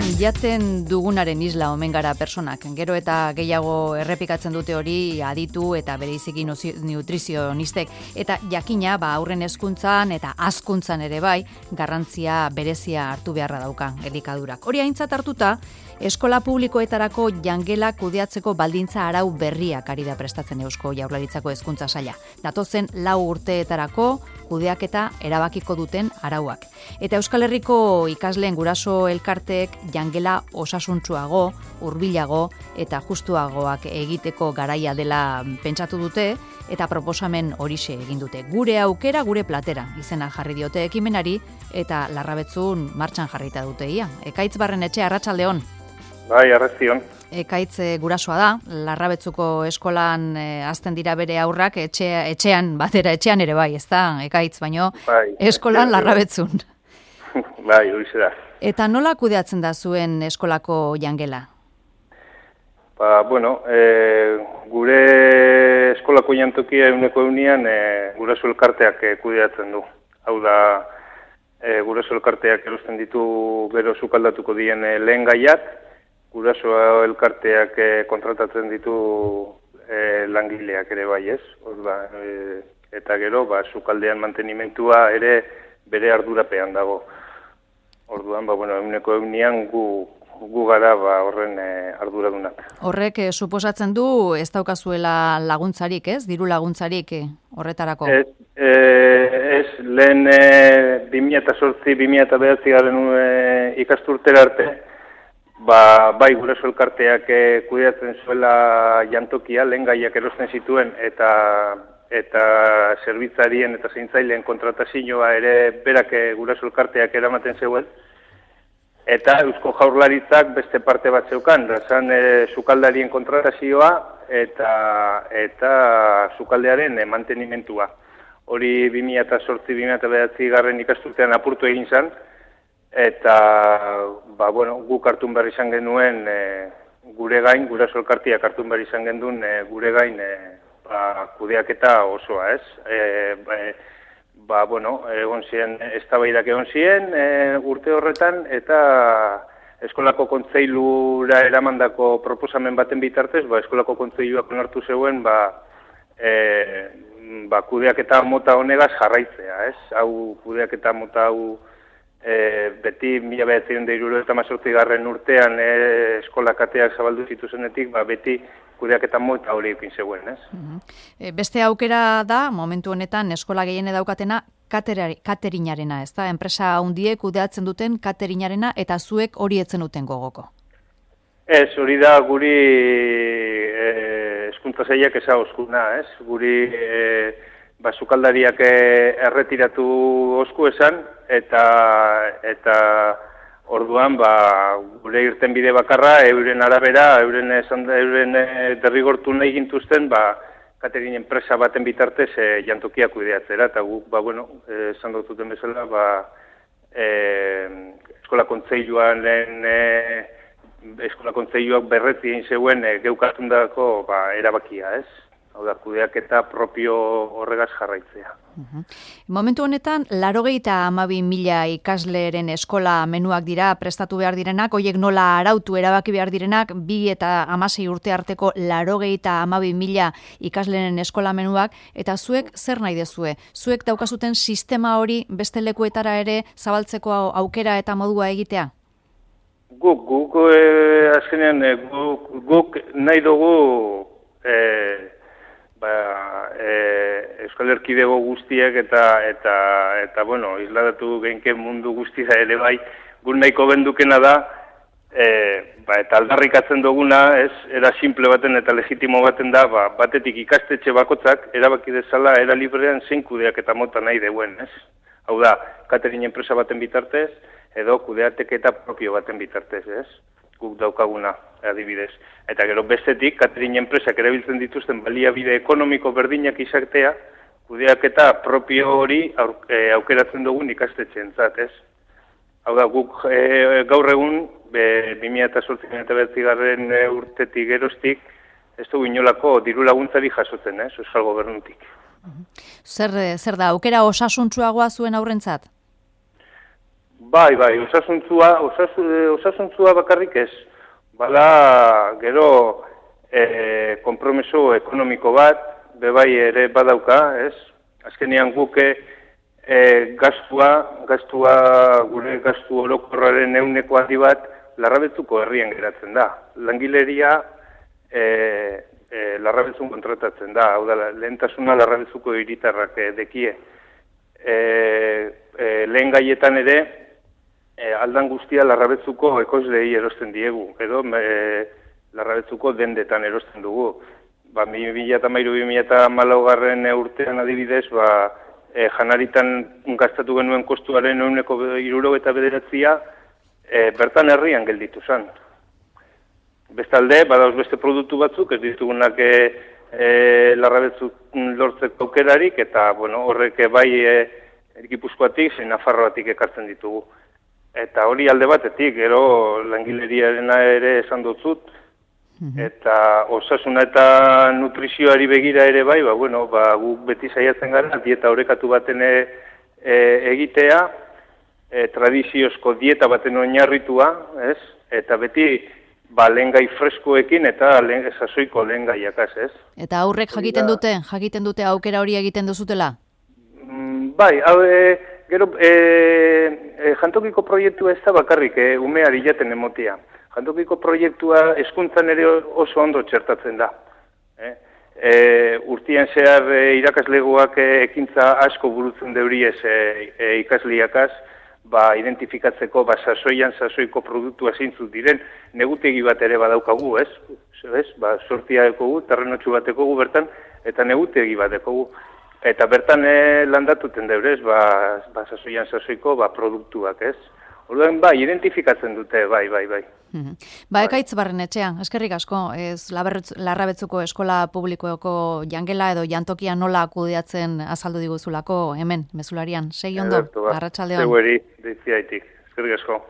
Jaten dugunaren isla omen gara personak. Gero eta gehiago errepikatzen dute hori aditu eta bereziki nutrizionistek. Eta jakina, aurren hezkuntzan eta hazkuntzan ere bai, garrantzia berezia hartu beharra dauka elikadurak. Hori aintzat hartuta, eskola publikoetarako jangela kudeatzeko baldintza arau berriak ari da prestatzen Eusko Jaurlaritzako hezkuntza saila. Datozen 4 urteetarako kudeaketa erabakiko duten arauak. Eta Euskal Herriko ikasleen guraso elkarteek jangela osasuntsuago, hurbilago eta justuagoak egiteko garaia dela pentsatu dute eta proposamen horixe egin dute. Gure aukera, gure platera izena jarri diote ekimenari eta Larrabetzun martxan jarrita dute ia. Ekaitz Barrenetxea, arratsaldeon. Bai, arratsaldeon. Ekaitz gurasoa da, Larrabetzuko eskolan azten dira bere aurrak etxean ere bai, ez da, Ekaitz, baino bai, eskolan Larrabetzun. Bai, horixe da. Eta nola kudeatzen da zuen eskolako jangela? Gure eskolako jantokia 100%, guraso elkarteak kudeatzen du. Hau da, guraso elkarteak erosten ditu gero sukaldatuko dien lehen gaiak, guraso elkarteak kontratatzen ditu langileak ere bai, ez? Eta gero, sukaldean mantenimentua ere bere ardurapean dago. Orduan, 100% gu gara horren arduradunak. Horrek suposatzen du ez daukazuela laguntzarik, ez? Diru laguntzarik horretarako? Ez, lehen 2008-2009 ikasturtera arte, bai guraso elkarteak kudeatzen zuela jantokia, lehen gaiak erosten zituen eta zerbitzarien eta zaintzaileen kontratazioa ere berak guraso elkarteak eramaten zeuen. Eta Eusko Jaurlaritzak beste parte bat zeukan, zan sukaldarien kontratazioa eta sukaldearen mantenimentua. Hori 2008-2009 ikasturtean apurtu egin zen, eta guk hartun behar izan genuen gure gain, guraso elkarteak hartun behar izan genuen gure gain kudeaketa osoa, ez? Egon ziren, eztabaidak egon ziren urte horretan, eta eskolako kontseilura eramandako proposamen baten bitartez, eskolako kontseiluak onartu zeuen, kudeaketa mota honegaz jarraitzea, ez? Hau kudeaketa mota hau beti 1978 urtean eskolak ateak zabaldu zituzenetik, beti kudeaketa mota hori ekin zegoen, ez? Beste aukera da, momentu honetan, eskola gehiene daukatena, katerinarena, ez da? Enpresa handiek kudeatzen duten katerinarena, eta zuek hori etzen duten gogoko. Ez, hori da guri hezkuntza sailak ezagozkuna, ez? Guri sukaldariak erretiratu osku esan, eta orduan, gure irtenbide bakarra, euren arabera, euren derrigortu nahi gintuzten, katering enpresa baten bitartez jantokia kudeatzera, eta guk, esan dututen bezala, eskola kontseiluak berretzi egin zeuen geukartundako erabakia, ez? Hau da, kudeaketa propio horregaz jarraitzea. Momentu honetan, 92.000 ikasleren eskola menuak dira prestatu behar direnak, horiek nola arautu erabaki behar direnak, 2 eta 16 urte arteko 92.000 ikasleren eskola menuak, eta zuek zer nahi dezue? Zuek daukazuten sistema hori beste lekuetara ere zabaltzeko aukera eta modua egitea? Guk azkenean, guk nahi dugu Euskal Erkidego guztiak eta isladatu genken mundu guztia ere bai, guk nahiko bendukena da, eta aldarrikatzen duguna, era simple baten eta legitimo baten da, batetik ikastetxe bakotzak, erabaki dezala, era librean zein kudeak eta mota nahi deuen, ez? Hau da, katering enpresa baten bitartez, edo kudeateketa propio baten bitartez, ez? Guk daukaguna, adibidez. Eta gero bestetik, katering enpresak erabiltzen dituzten baliabide ekonomiko berdinak izatea, kudeaketa propio hori aukeratzen dugun ikastetxeentzat, ez? Hau da, guk gaur egun, 2008-2009 urtetik geroztik, ez dugu inolako diru laguntzari jasotzen, ez? Euskal Gobernutik. Zer da, aukera osasuntsuagoa zuen aurrentzat? Bai, osasuntzua bakarrik ez. Bala, gero, konpromiso ekonomiko bat, bebai ere badauka, ez? Azkenean guke gastua, gure gastu orokorraren ehuneko handi bat, Larrabetzuko herrian geratzen da. Langileria Larrabetzun kontratatzen da, hau da, lehentasuna Larrabetzuko hiritarrak dekie. Lehen gaietan ere, aldan guztia Larrabetzuko ekoizleei erosten diegu, edo Larrabetzuko dendetan erosten dugu. 2013-2014 urtean adibidez, janaritan gastatu genuen kostuaren 69%, bertan herrian gelditu zen. Bestalde, badauz beste produktu batzuk, ez ditugunak Larrabetzuk lortzeko aukerarik, eta horrek bai Gipuzkoatik, zein Nafarroatik ekartzen ditugu. Eta hori alde batetik, gero langileriarena ere esan dutzut, eta osasuna eta nutrizioari begira ere bai, guk beti saiatzen gara, dieta orekatu baten egitea, tradiziozko dieta baten oinarritua, ez? Eta beti lehengai freskoekin eta sasoiko lehengaiak, ez? Eta aurrek jakiten dute aukera hori egiten duzutela? Bai, gero, jantokiko proiektua ez da bakarrik, umeari jaten emotia. Jantokiko proiektua hezkuntzan ere oso ondo txertatzen da. Urtien zehar irakaslegoak ekintza asko burutzen deuriez ikasliakaz, identifikatzeko sasoiko produktua zeintzuk diren, negutegi bat ere badaukagu, ez? Sortia dekogu, terrenotxu bat dekogu bertan, eta negutegi bat dekogu. Eta bertan landatuten deurez, sasoiko produktuak, ez? Orduan, identifikatzen dute, bai. Ekaitz Barrenetxea, eskerrik asko, Larrabetzuko eskola publikoko jangela edo jantokia nola kudeatzen azaldu diguzulako hemen, mezularian. Segi ondo, arratsaldeon. Zegoeri, deitziaitik, eskerrik asko.